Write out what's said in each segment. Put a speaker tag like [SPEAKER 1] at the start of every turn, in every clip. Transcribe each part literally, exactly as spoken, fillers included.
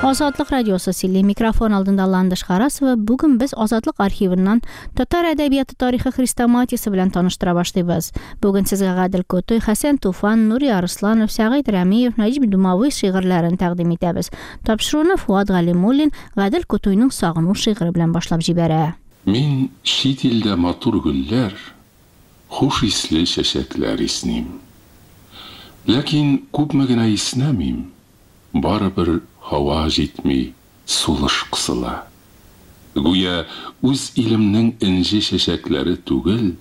[SPEAKER 1] Азатлык радиосы сөйли. Микрофон алдында Ландыш Харасова. Бүген без Азатлык архивыннан татар әдәбияты тарихы хрестоматиясе белән таныштыра башлыйбыз. Бүген сезгә Гадел Кутуй, Хәсән Туфан, Нури Арысланов, Сәгыйть Рәмиев, Нәҗип Думави шигырьләрен тәкъдим итәбез. Тапшыруны Фуат Галимуллин Гадел Кутуйның Сагыну шигыре белән башлап җибәрә.
[SPEAKER 2] Мин чит илдә матур гөлләр, хуш исле чәчәкләр исним. Ләкин күпме генә иснәмим, барыбер һава җитми, сулыш кысыла. Гүя үз илемнең энҗе чәчәкләре түгел,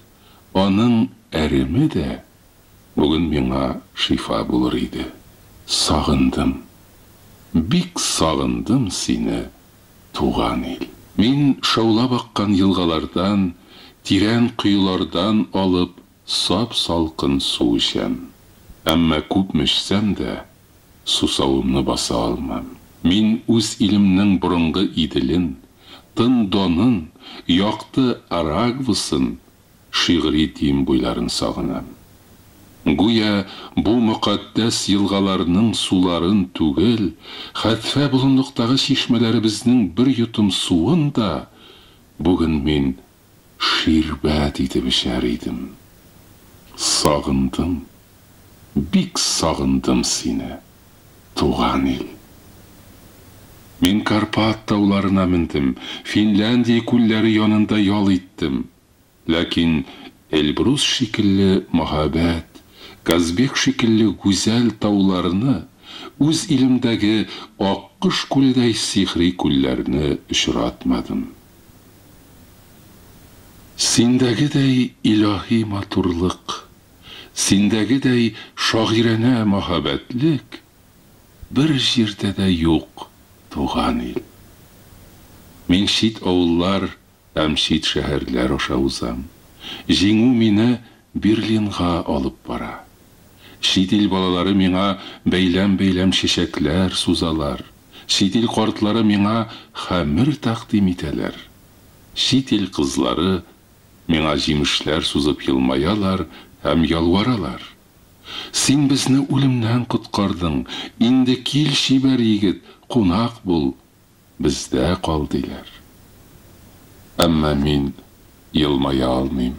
[SPEAKER 2] аның әреме дә бүген миңа шифа булыр иде. Сагындым, бик сагындым сине, туган ил. Мин шаулап аккан елгалардан, тирән коелардан алып сап-салкын су эчәм. Әмма күпме эчсәм дә, сусавымны баса алмам. Мин үз илемнең борынгы Иделен, тын Донын, якты Арагвысын, шигъри Дим буйларын сагынам. Гүя бу мөкатдәс елгаларның суларын түгел, хәтфә болынлыктагы чишмәләребезнең бер йотым суын да бүген мин ширбәт итеп эчәр идем. Сагындым, бик сагындым сине, туган ил. Мин Карпат тауларына мендем, Финляндия күлләре янында ял иттем. Ләкин Эльбрус шикелле мәһабәт, Казбек шикелле гүзәл тауларны, үз илемдәге Аккош күледәй сихри күлләрне очратмадым. Синдәгедәй илаһи матурлык, синдәгедәй шагыйранә мәһабәтлек бер җирдә дә юк, туган ил. Мин чит авыллар һәм чит шәһәрләр аша узам. Җиңү мине Берлинга алып бара. Чит ил балалары миңа бәйләм-бәйләм чәчәкләр сузалар. Чит ил картлары миңа хәмер тәкъдим итәләр. Чит ил кызлары миңа җимешләр сузып елмаялар һәм ялваралар. Син безне үлемнән коткардың, инде кил, чибәр егет, кунак бул, бездә кал, диләр. Әмма мин елмая алмыйм.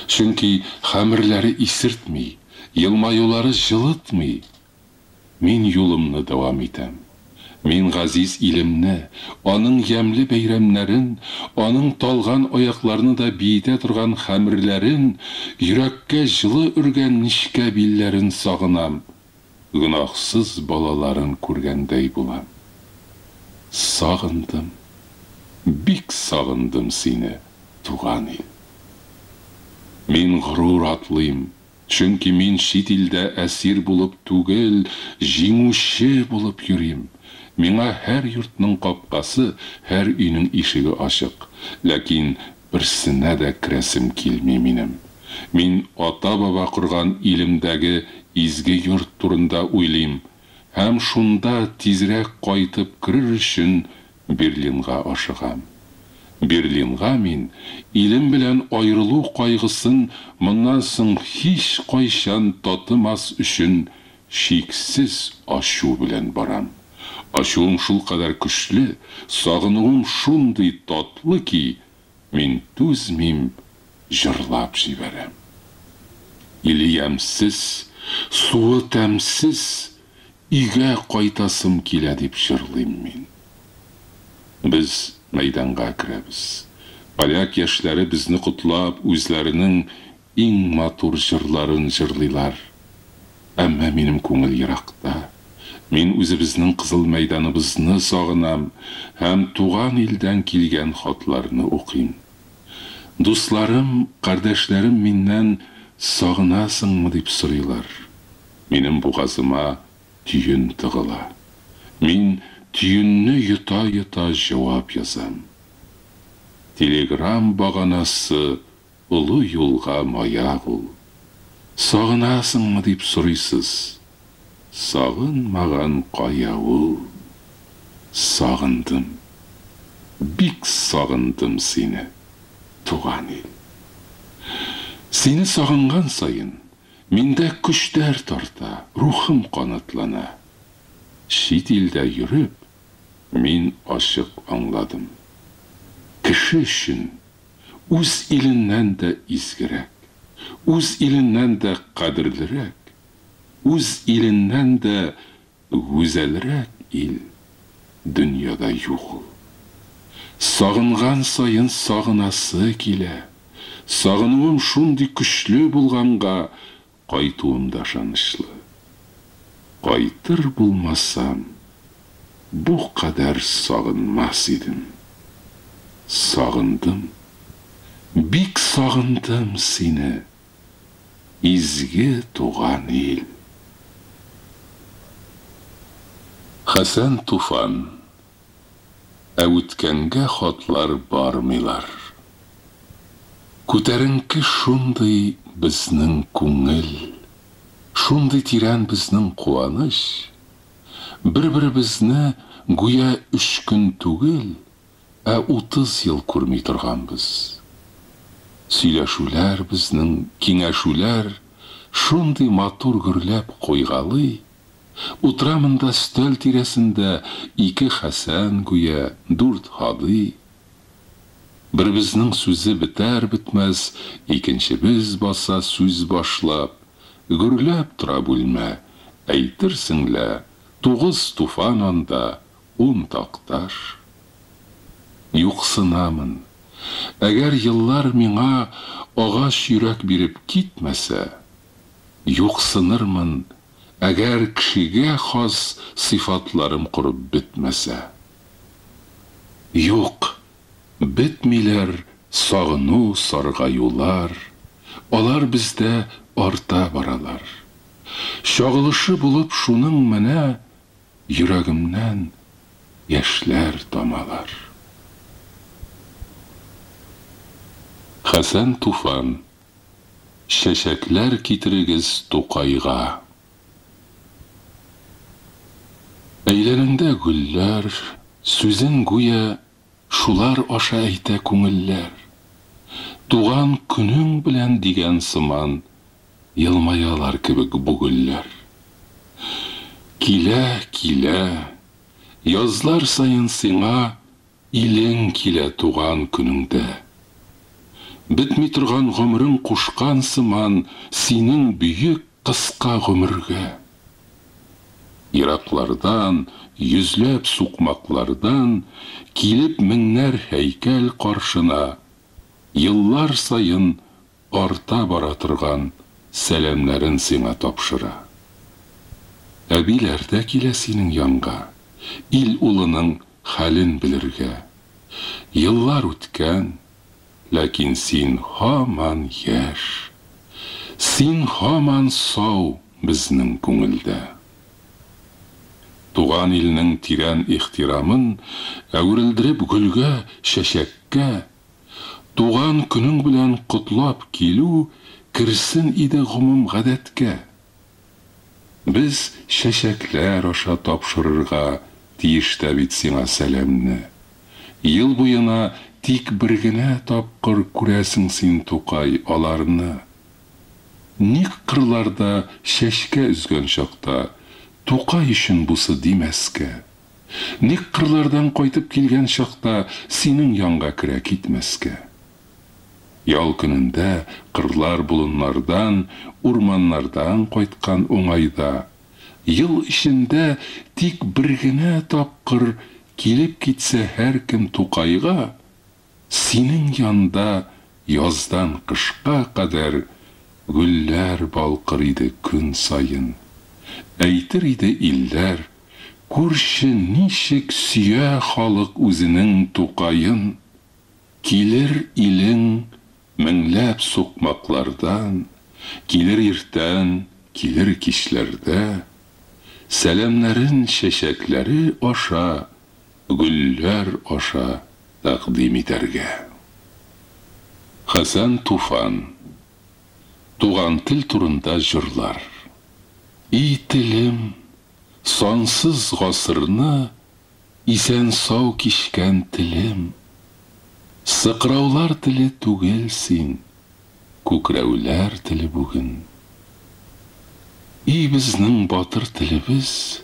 [SPEAKER 2] Чөнки хәмерләре исертми, елмаюлары җылытмый. Мин юлымны дәвам итәм. Мин газиз илемне, аның ямьле бәйрәмнәрен, аның талган аякларны да биетә торган хәмерләрен, йөрәккә җылы өргән нечкә билләрен сагынам. Гөнаһсыз балаларын күргәндәй булам. Сагындым, бик сагындым сине, туган ил. Мин горур атлыйм, чөнки мин чит илдә әсир булып түгел, җиңүче булып йөрим. Миңа һәр йортның капкасы, һәр өйнең ишеге ачык. Ләкин берсенә дә керәсем килми минем. Мин ата-баба корган илемдәге изге йорт турында уйлыйм һәм шунда тизрәк кайтып керер өчен Берлинга ашыгам. Берлинга мин илем белән аерылу кайгысын моннан соң һич кайчан татымас өчен шиксез ачу белән барам. Ачуым шулкадәр көчле, сагынуым шундый татлы ки, мин түзмим, җырлап җибәрәм. Иле ямьсез, суы тәмсез, өйгә кайтасым килә дип җырлыйм мин. Без мәйданга керәбез. Поляк яшьләре безне котлап, үзләренең иң матур җырларын җырлыйлар. Әмма минем күңел еракта. Мин үзебезнең Кызыл мәйданыбызны сагынам һәм туган илдән килгән хатларны укыйм. Дусларым, кардәшләрем миннән сагынасыңмы дип сорыйлар. Минем бугазыма төен тыгыла. Мин төенне йота-йота җавап язам. Телеграм баганасы олы юлга маяк ул. Сагынасыңмы дип сорыйсыз. Сагынмаган кая ул? Сагындым, бик сагындым сине, туган ил. Сине сагынган саен миндә көчләр тарта, рухым канатлана. Чит илдә йөреп, Мин ачык аңладым. Кеше өчен үз иленнән дә изгерәк, үз иленнән дә кадерлерәк, үз иленнән дә гүзәлрәк ил дөньяда юк ул. Сагынган саен сагынасы килә. Сагынуым шундый көчле булганга кайтуым да ышанычлы. Кайтыр булмасам, бу кадәр сагынмас идем. Сагындым, бик сагындым сине, изге туган ил. Хәсән Туфан. Ә үткәнгә хатлар бармыйлар. Күтәренке шундый безнең күңел, шундый тирән безнең куаныч. Бер-беребезне гүя өч көн түгел, ә утыз ел күрми торганбыз. Сөйләшүләр безнең, киңәшүләр шундый матур гөрләп куйгалый. Утыра монда өстәл тирәсендә ике Хәсән гүя, дүрт Һади. Беребезнең сүзе бетәр бетмәс, икенчебез баса сүз башлап, гөрләп тора бүлмә, әйтерсең лә, тугыз Туфан анда, ун Такташ. Юксынамын. Әгәр еллар миңа агач йөрәк биреп китмәсә, юксынырмын, әгәр кешегә хас сыйфатларым корып бетмәсә. Юк, бетмиләр сагыну саргаюлар, алар бездә арта баралар. Чагылышы булып шуның менә йөрәгемнән яшьләр тамалар. Хәсән Туфан. Чәчәкләр китерегез Тукайга. Әйләнеңдә гөлләр, сүзен гүя шулар аша әйтә күңелләр. Туган көнең белән дигән сыман елмаялар кебек бу гөлләр. Килә, килә, язлар саен сиңа илең килә туган көнеңдә. Бетми торган гомерең кушкан сыман синең бөек кыска гомергә. Ераклардан, йөзләп сукмаклардан килеп меңнәр һәйкәл каршына, еллар саен арта бара торган сәламнәрен сиңа тапшыра. Әбиләр дә килә синең янга, ил улының хәлен белергә. Еллар үткән, ләкин син һаман яшь. Син һаман сау безнең күңелдә. Туган илнең тирән ихтирамын әверелдереп гөлгә, чәчәккә, туган көнең белән котлап килү керсен иде гомум гадәткә. Без чәчәкләр аша тапшырырга тиеш тә бит сиңа сәламне. Ел буена тик бер генә тапкыр күрәсең син, Тукай, аларны. Ник кырларда чәчкә өзгән чакта Тукай өчен бусы димәскә? Ник кырлардан кайтып килгән чакта синең янга керә китмәскә? Ял көнендә кырлар болыннардан, урманнардан кайткан уңайда, ел эчендә тик бер генә тапкыр килеп китсә һәркем Тукайга, синең янда яздан кышка кадәр гөлләр балкыр иде көн саен. Әйтер иде илләр, күрше ничек сөя халык үзенең Тукаен. Килер илең меңләп сукмаклардан, килер иртән, килер кичләрдә, сәламнәрен чәчәкләре аша, гөлләр аша тәкъдим итәргә. Хәсән Туфан. Туган тел турында җырлар. И телем, сансыз гасырны исән сау кичкән телем. Сыкраулар теле түгел син, күкрәүләр теле бүген. И безнең батыр телебез,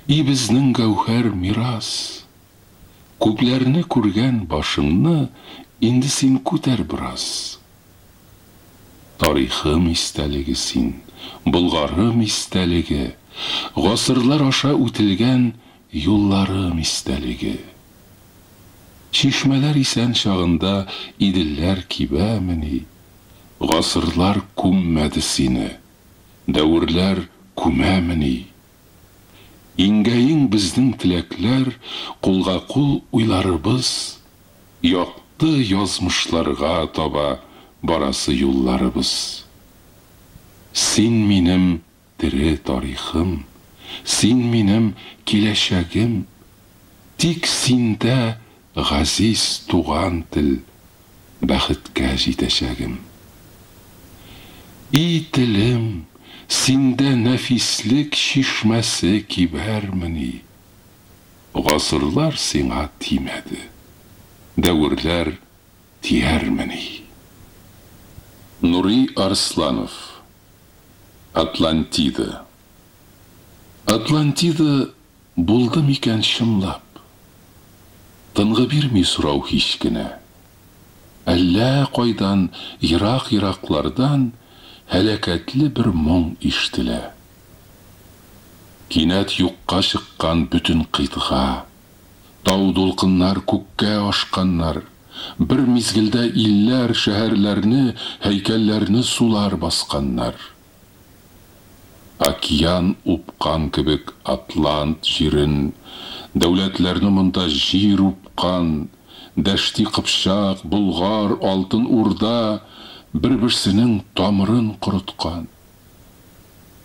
[SPEAKER 2] и безнең гәүһәр мирас. Күпләрне күргән башыңны инде син күтәр бераз. Тарихым истәлеге син, Болгарым истәлеге, гасырлар аша үтелгән юлларым истәлеге. Чишмәләр исән чагында Иделләр кибәмени? Гасырлар күммәде сине, дәверләр күмәмени? Иңгә-иң безнең теләкләр, кулга-кул уйларыбыз, якты язмышларга таба барасы юлларыбыз. Син минем тере тарихым, син минем киләчәгем, тик синдә, газиз туган тел, бәхеткә җитәчәгем. И телем, синдә нәфислек чишмәсе кибәрмени? Гасырлар сиңа тимәде, дәверләр тиярмени? Нури Арсланов. Атлантида. Атлантида булды микән чынлап? Тынгы бирми сорау һич кенә. Әллә кайдан, ерак-ераклардан һәлакәтле бер моң ишетелә. Кинәт юкка чыккан бөтен кыйтга, тау дулкыннар күккә ашканнар, бер мизгелдә илләр, шәһәрләрне, һәйкәлләрне сулар басканнар. Океан упкан кебек Атлант җирен, дәүләтләрне монда җир упкан, Дәшти Кыпчак, Болгар, Алтын Урда бер-берсенең тамырын корыткан.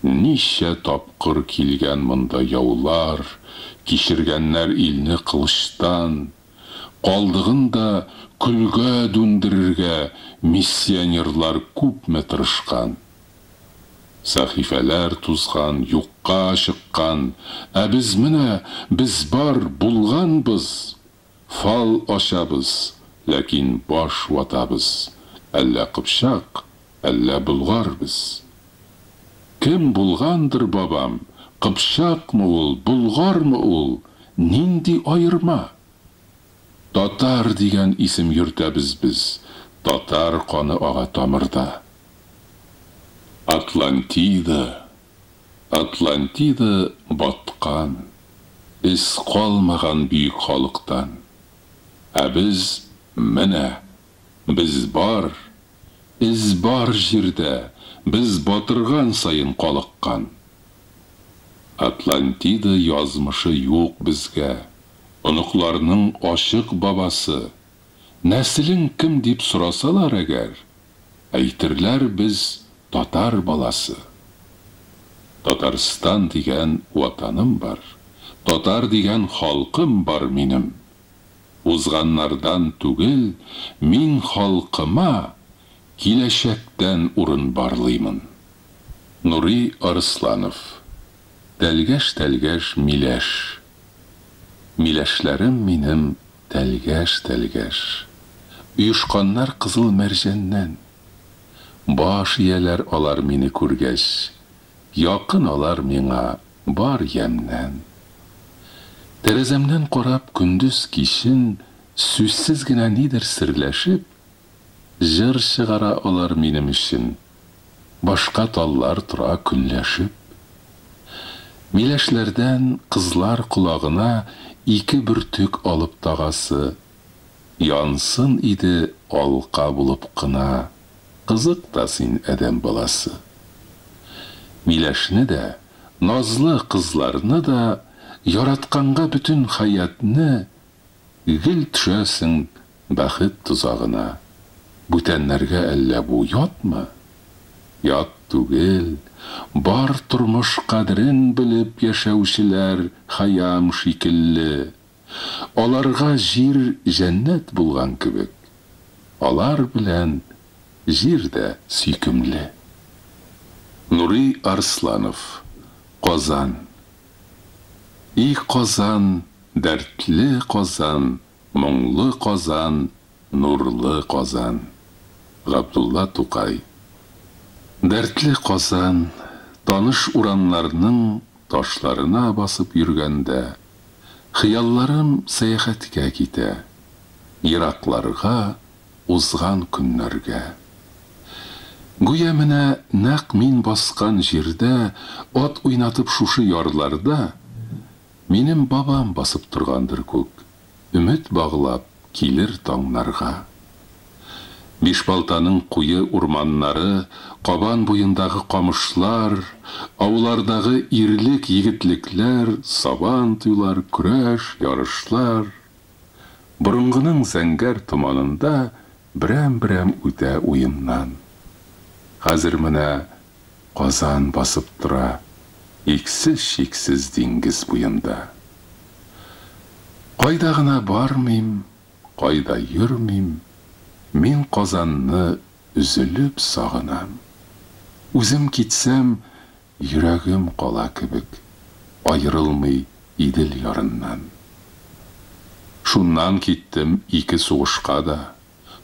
[SPEAKER 2] Ничә тапкыр килгән монда яулар, кичергәннәр илне кылычтан, калдыгын да көлгә дүндерергә миссионерлар күпме тырышкан. Сәхифәләр тузган, юкка чыккан, ә без менә, без бар, булганбыз. Фал ачабыз, ләкин баш ватабыз, әллә кыпчак, әллә болгар без. Кем булгандыр бабам, кыпчакмы ул, болгармы ул, нинди аерма? Татар дигән исем йөртәбез без, татар каны ага тамырда. Атлантида, Атлантида баткан, эз калмаган бөек халыктан. Ә без менә, без бар, эз бар җирдә, без батырган саен калыккан. Атлантида язмышы юк безгә, оныкларның ачык бабасы. Нәселең кем дип сорасалар әгәр, әйтерләр без татар баласы. Татарстан дигән ватаным бар, татар дигән халкым бар минем. Узганнардан түгел, мин халкыма киләчәктән урын барлыймын. Нури Арсланов. Тәлгәш-тәлгәш миләш. Миләшләрем минем тәлгәш-тәлгәш. Оешканнар кызыл мәрҗәннән. Баш ияләр алар мине күргәч, якын алар миңа бар ямьнән. Тәрәзәмнән карап көндез кичен сүзсез генә нидер серләшеп, җыр чыгара алар минем өчен. Башка таллар тора көнләшеп. Миләшләрдән кызлар колагына ике бөртек алып тагасы, янсын иде алка булып кына, кызык та син, адәм баласы. Миләшне дә, назлы кызларны да яратканга бөтен хәятны гел төшәсең бәхет тозагына. Бүтәннәргә әллә бу ятмы? Ят түгел, бар тормыш кадерен белеп яшәүчеләр Хәям шикелле. Аларга җир җәннәт булган кебек. Алар белән җир дә сөйкемле. Нури Арсланов. Казан. И Казан, дәртле Казан, моңлы Казан, нурлы Казан. Габдулла Тукай. Дәртле Казан, таныш урамнарның ташларына басып йөргәндә, Хыялларым сәяхәткә китә, Еракларга, узган көннәргә. Гүя менә нәкъ мин баскан җирдә, Ат уйнатып шушы ярларда, Минем бабам басып торгандыр күк, Өмет баглап килер таңнарга. Бишбалтаның куе урманнары, Кабан буендагы камышлар, Аулардагы ирлек-егетлекләр, Сабан туйлар, көрәш, ярышлар. Борынгының зәңгәр томанында Берәм-берәм үтә уемнан. Хәзер менә Казан басып тора Иксез-чиксез диңгез буенда. Кайда гына бармыйм, кайда йөрмим, Мин Казанны өзелеп сагынам. Үзем китсәм, йөрәгем кала кебек, Аерылмый Идел ярыннан. Шуннан киттем ике сугышка да,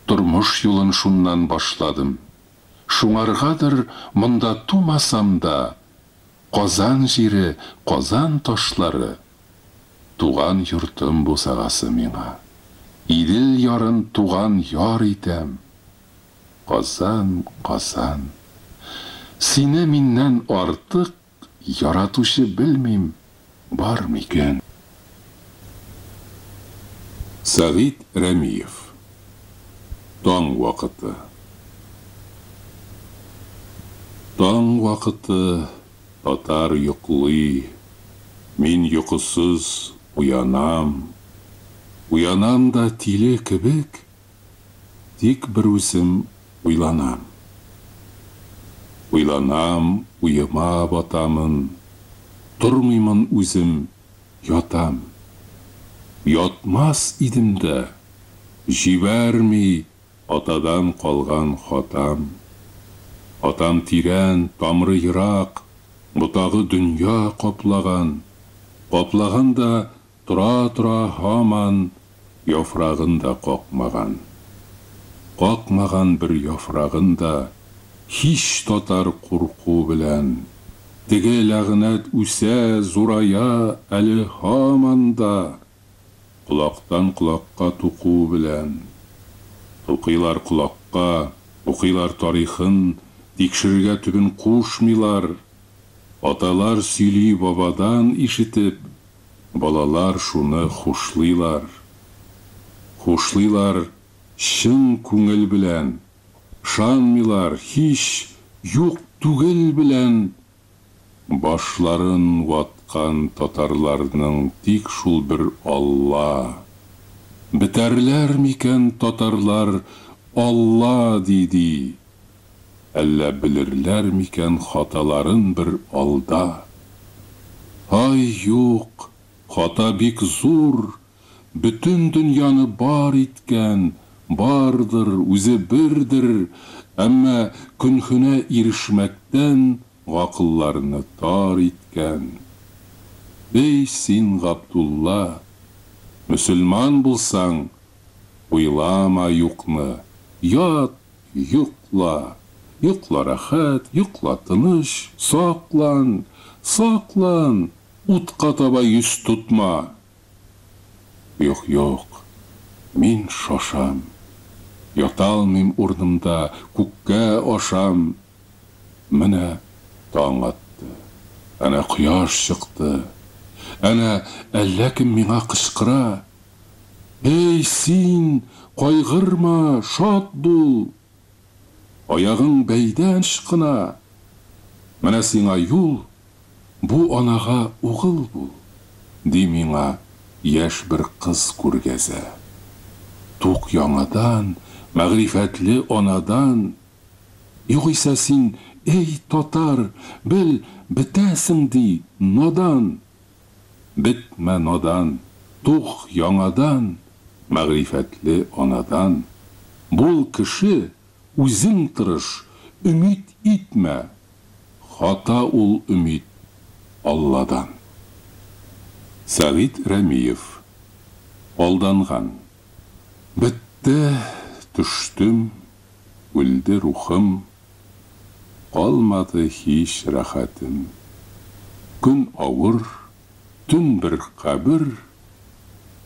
[SPEAKER 2] Тормыш юлын шуннан башладым. Шуңаргадыр, монда тумасам да, Казан җире, Казан ташлары Туган йортым бусагасы миңа. Идел ярын туган яр итәм. Казан, Казан. Сине миннән артык яратучы белмим, бар микән? Сәгыйть Рәмиев. Таң вакыты. Таң вакыты, татар йоклый, Мин йокысыз уянам. Уянам да тиле кебек, Тик берүзем уйланам. Уйланам, уема батамын, Тормыймын үзем, ятам. Ятмас идем дә, җибәрми Атадан калган хатам. Атам тирән, тамыры ерак, Ботагы дөнья каплаган. Каплаган да тора-тора һаман Яфрагын да какмаган. Какмаган бер яфрагын да Һич татар курку белән. Теге ләгънәт үсә, зурая Әле һаман да, Колактан колакка туку белән. Тукыйлар колакка, укыйлар тарихын, Тикшерергә төбен кушмыйлар. Аталар сөйли бабадан ишетеп, Балалар шуны хушлыйлар. Хушлыйлар чын күңел белән, Ышанмыйлар һич юк түгел белән. Башларын ваткан татарларның Тик шул бер Алла. Бетәрләр микән татарлар Алла ди-ди? Әллә белерләр микән хаталарын бер алда? Һай, юк, хата бик зур, бөтен дөньяны бар иткән, бардыр, үзе бердер, әмма көнһенә ирешмәктән гакылларны тар иткән. Эй, син, Габдулла, мөселман булсаң, уйлама юкны, ят, йокла, йокла рәхәт, йокла тыныч, саклан, саклан, утка таба йөз тотма. Юк, юк, мин шашам, яталмыйм урынымда, күккә ашам. Менә таң атты, әнә кояш чыкты, әнә әллә кем миңа кычкыра: Эй, син, кайгырма, шат бул! Аягың бәйдән ычкына. Менә сиңа юл, бу анага угыл бул, ди миңа яшь бер кыз күргәзә. Тук яңадан, мәгърифәтле анадан. Югыйсә син, эй, татар, бел, бетәсең, ди, надан. Бетмә, надан, туг яңадан, мәгърифәтле анадан. Бул кеше, үзең тырыш, өмит итмә, хата ул өмит Алладан. Сәгыйть Рәмиев. Алданган. Бетте, төштем, үлде рухым, Калмады һич рәхәтем. Көн авыр, төн бер кабер,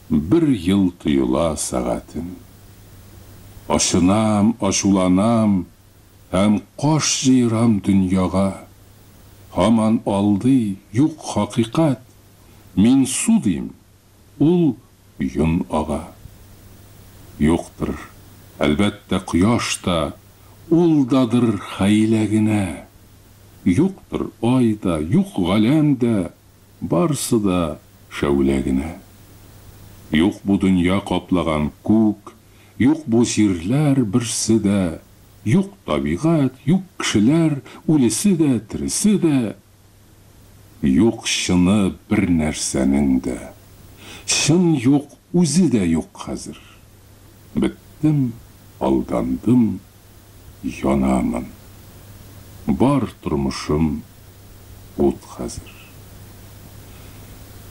[SPEAKER 2] бер ел тоела сәгатем. Ачынам, ачуланам һәм каш җыерам дөньяга. Һаман алдый, юк хакыйкать, мин су дим, ул йон ага. Юктыр, әлбәттә, кояш та, ул дадыр хәйлә генә. Юктыр ай да, юк галәм дә, барсы да шәүлә генә. Юк бу дөнья каплаган күк, юк бу җирләр берсе дә, юк табигать, юк кешеләр, үлесе дә, тересе дә. Юк чыны бер нәрсәнең дә. Чын юк, үзе дә юк хәзер. Беттем, алдандым, янамын. Бар тормышым ут хәзер.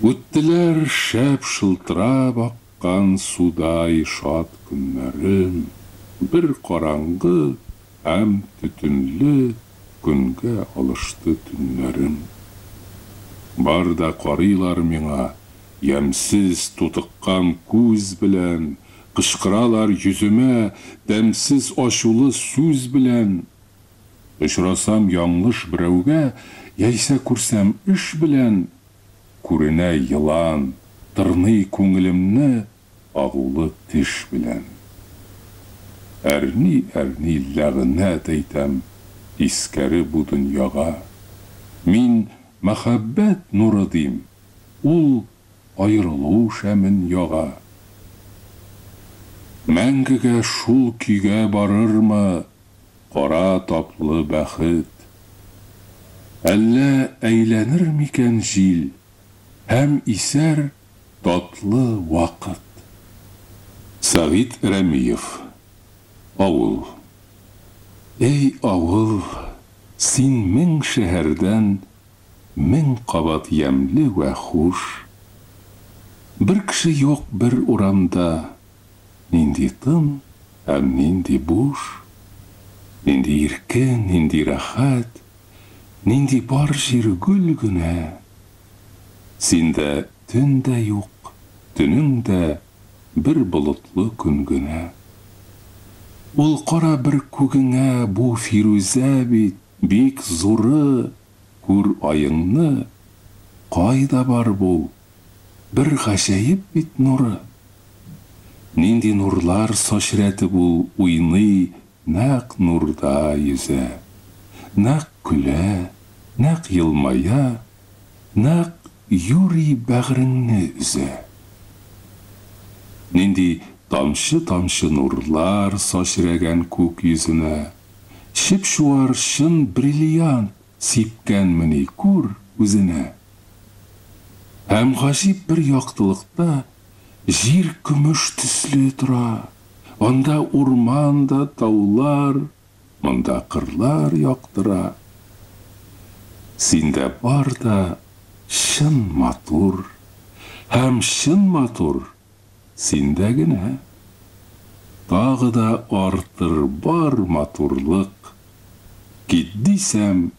[SPEAKER 2] Үттеләр шәп шылтырап аккан судай шат көннәрем, бер караңгы һәм төтенле көнгә алышты төннәрем. Бар да карыйлар миңа, ямьсез тутыккан күз белән, кычкыралар йөземә, тәмсез ачулы сүз белән. Очрасам яңлыш берәүгә, яисә күрсәм эш белән, күренә елан, тырный күңелемне агулы теш белән. Әрни-әрни ләгънәт әйтәм тискәре бу дөньяга. Мин мәхәббәт нуры дим, ул аерылу шәмен яга. Мәңгегә шул көйгә барырмы кара таплы бәхет? Әллә әйләнер микән җил һәм исәр татлы вакыт? Сәгыйть Рәмиев. Авыл. Эй, авыл, син мең шәһәрдән мең кабат ямьле вә хуш. Бер кеше юк бер урамда, нинди тын һәм нинди буш, нинди иркен, нинди рәхәт, нинди бар җир гөл генә. Синдә төн дә юк, төнең дә бер болытлы көн генә. Ул кара бер күгеңә бу фирүзә бит, бик зуры, күр аеңны, кайда бар бу? Бер гаҗәеп бит нуры. Нинди нурлар сачрәтеп ул уйный, нәкъ нурда йөзә. Нәкъ көлә, нәкъ елмая, нәкъ юри бәгыреңне өзә. Нинди тамчы-тамчы нурлар сачрәгән күк йөзенә, чып-чуар чын бриллиант сипкәнмени күр үзенә. Һәм гаҗиб бер яктылыкта җир көмеш төсле тора, анда урман да таулар, монда кырлар яктыра. Синдә бар да чын матур, һәм чын матур синдә генә. Тагы да артыр бар матурлык, кит дисәм,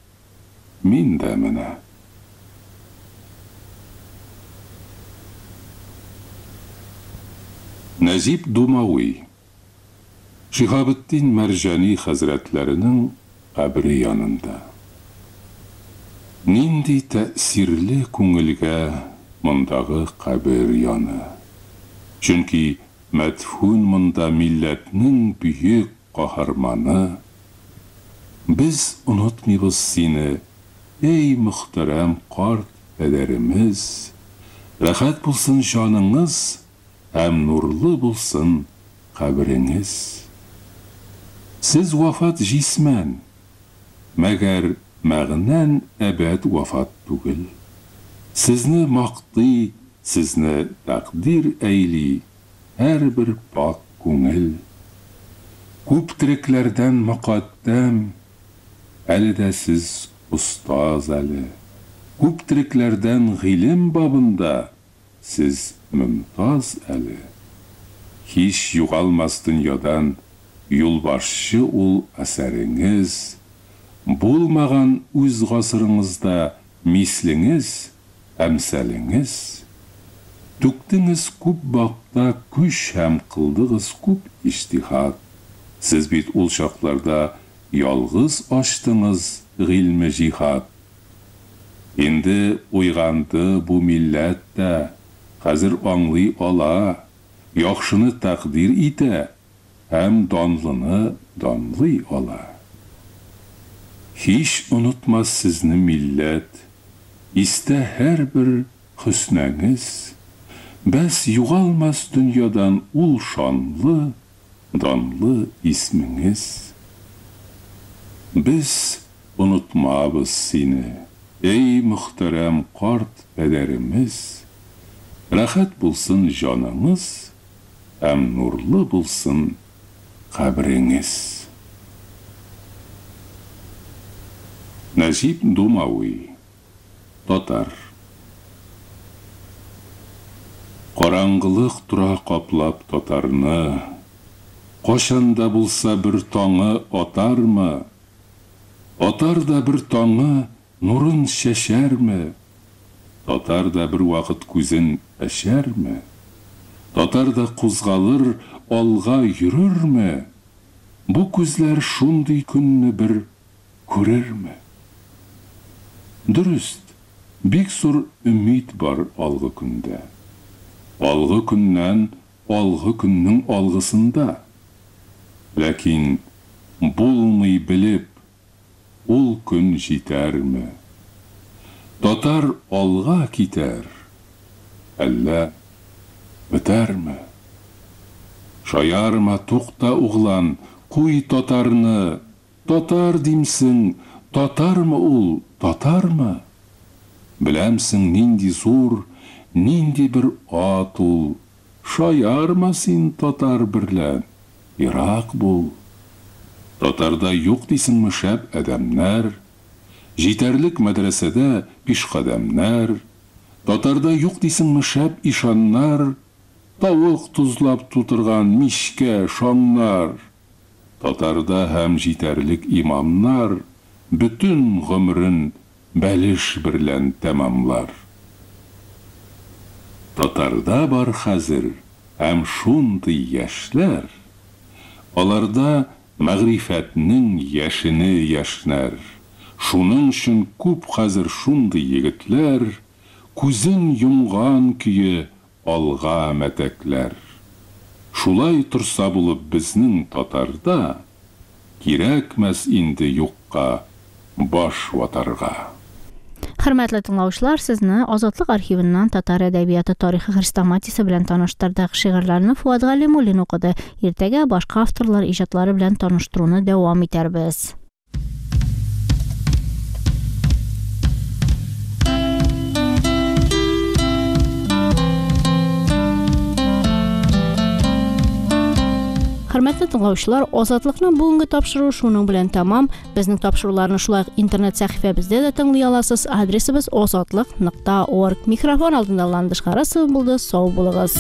[SPEAKER 2] мин дә менә. Нәҗип Думави. Шиһабетдин Мәрҗани хәзрәтләренең кабере янында. Нинди тәэсирле күңелгә мондагы кабер яны. Чөнки мәдфүн монда милләтнең бөек каһарманы. Без онытмыйбыз сине, эй мөхтәрәм карт пәдәремез. Рәхәт булсын җаныңыз һәм нурлы булсын кабереңез. Сез вафат җисмән, мәгәр мәгънән әбәд вафат түгел. Сезне мактый, сезне тәкъдир әйли һәрбер пак күңел. Күп терекләрдән мөкатдәм, әле дә сез остаз әле. Күп терекләрдән гыйлем бабында сез мөмтаз әле. Һич югалмас дөньядан юлбашчы ул әсәреңез, булмаган үз гасырыңызда мислеңез, әмсәлеңез. Түктеңез күп бакта көч һәм кылдыгыз күп иҗтиһад. Сез бит ул чакларда ялгыз ачтыңыз гыйльме җиһад. Инде уйганды бу милләт тә, хәзер аңлый ала, яхшыны тәкъдир итә һәм данлыны данлый ала. Һич онытмас сезне милләт, истә һәрбер хөснеңез, бәс югалмас дөньядан ул шанлы, данлы исмеңез. Без онытмабыз сине, эй мөхтәрәм карт пәдәремез, рәхәт булсын җаныңыз һәм нурлы булсын кабреңез. Нәҗип Думави, татар. Караңгылык тора каплап татарны, кайчан да булса бер таңы атармы? Атар да бер таңы нурын чәчәрме? Татар да бер вакыт күзен әчәрме? Татар да кузгалыр, алга йөрерме? Бу күзләр шундый көнне бер күрерме? Дөрес, бик зур өмид бар алгы көндә. Алгы көннән алгы көннең алгысында. Ләкин булмый белеп, ул көн җитәрме? Татар алга китәр, әллә бетәрме? Шаярма, тукта, углан, куй татарны, татар димсең, татармы ул, татармы? Беләмсең нинди зур, нинди бер ат ул, шаярма син татар берлән, ерак бул. Татарда юк дисеңме шәп адәмнәр, җитәрлек мәдрәсәдә пишкадәмнәр, татарда юк дисеңме шәп ишаннар, тавык тозлап тутырган мичкә шаңнар, татарда һәм җитәрлек имамнар, бөтен гомерен бәлеш берлән тәмамлар. Татарда бар хәзер һәм шундый яшьләр, аларда мәгърифәтнең яшене яшьнәр. Шуның өчен күп хәзер шундый егетләр, күзен йомган көе алга мәтәкләр. Шулай торса булып безнең татарда, кирәкмәс инде юкка баш ватарга.
[SPEAKER 1] Хөрмәтле тыңлаучылар, сезне Азатлык архивыннан татар әдәбияты тарихы хрестоматиясе белән таныштырдык. Шигырьләрне Фуат Галимуллин укыды. Иртәгә башка авторлар иҗатлары белән таныштыруны дәвам итәрбез. Хөрмәтле тыңлаучылар, Азатлыкның бүгенге тапшыруы шуның белән тәмам. Безнең тапшыруларны шулай ук интернет сәхифәбездә дә тыңлый аласыз. Адресыбыз азатлык нокта орг. Микрофон алдында Ландыш Харасова булды. Сау булыгыз.